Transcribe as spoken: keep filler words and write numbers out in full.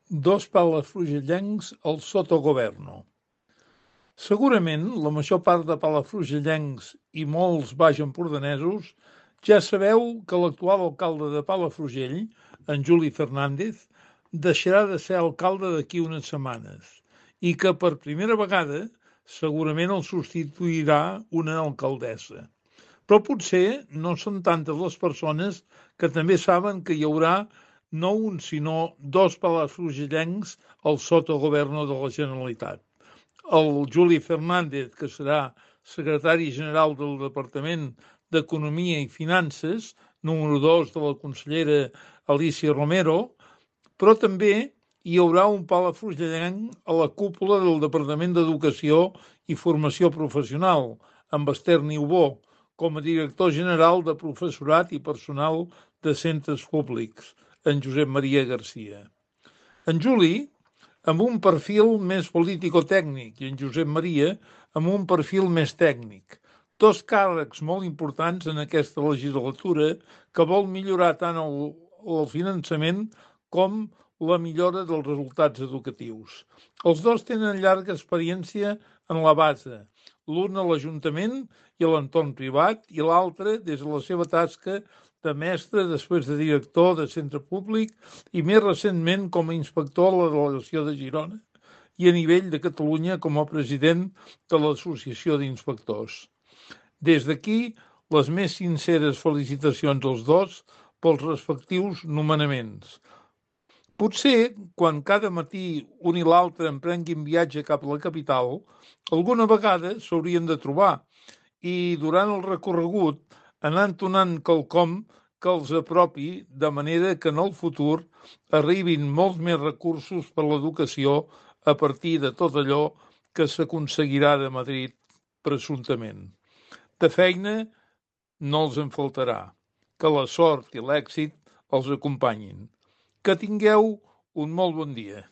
Dos palafrugellencs al sotogoverno. Segurament la major part de palafrugellencs i molts baixempordanesos ja sabeu que l'actual alcalde de Palafrugell, en Juli Fernández, deixarà de ser alcalde d'aquí unes setmanes i que per primera vegada segurament el substituirà una alcaldessa. Però potser no són tantes les persones que també saben que hi haurà no un sinó dos palafrugellencs al sotogoverno de la Generalitat. El Juli Fernández, que serà secretari general del Departament d'Economia i Finances, número dos de la consellera Alicia Romero, però també hi haurà un palafrugellenc a la cúpula del Departament d'Educació i Formació Professional, amb Esther Niubó, com a director general de professorat i personal de centres públics, en Josep Maria Garcia. En Juli, amb un perfil més político-tècnic, i en Josep Maria amb un perfil més tècnic. Dos càrrecs molt importants en aquesta legislatura que vol millorar tant el, el finançament com la millora dels resultats educatius. Els dos tenen llarga experiència en la base, l'un a l'Ajuntament i a l'entorn privat i l'altre des de la seva tasca de mestre, després de director de centre públic i més recentment com a inspector a la delegació de Girona i a nivell de Catalunya com a president de l'Associació d'Inspectors. Des d'aquí, les més sinceres felicitacions als dos pels respectius nomenaments. Potser, quan cada matí un i l'altre emprenguin viatge cap a la capital, alguna vegada s'haurien de trobar i durant el recorregut anar entonant quelcom que els apropi de manera que en el futur arribin molts més recursos per a l'educació a partir de tot allò que s'aconseguirà de Madrid presumptament. De feina no els en faltarà. Que la sort i l'èxit els acompanyin. Que tingueu un molt bon dia.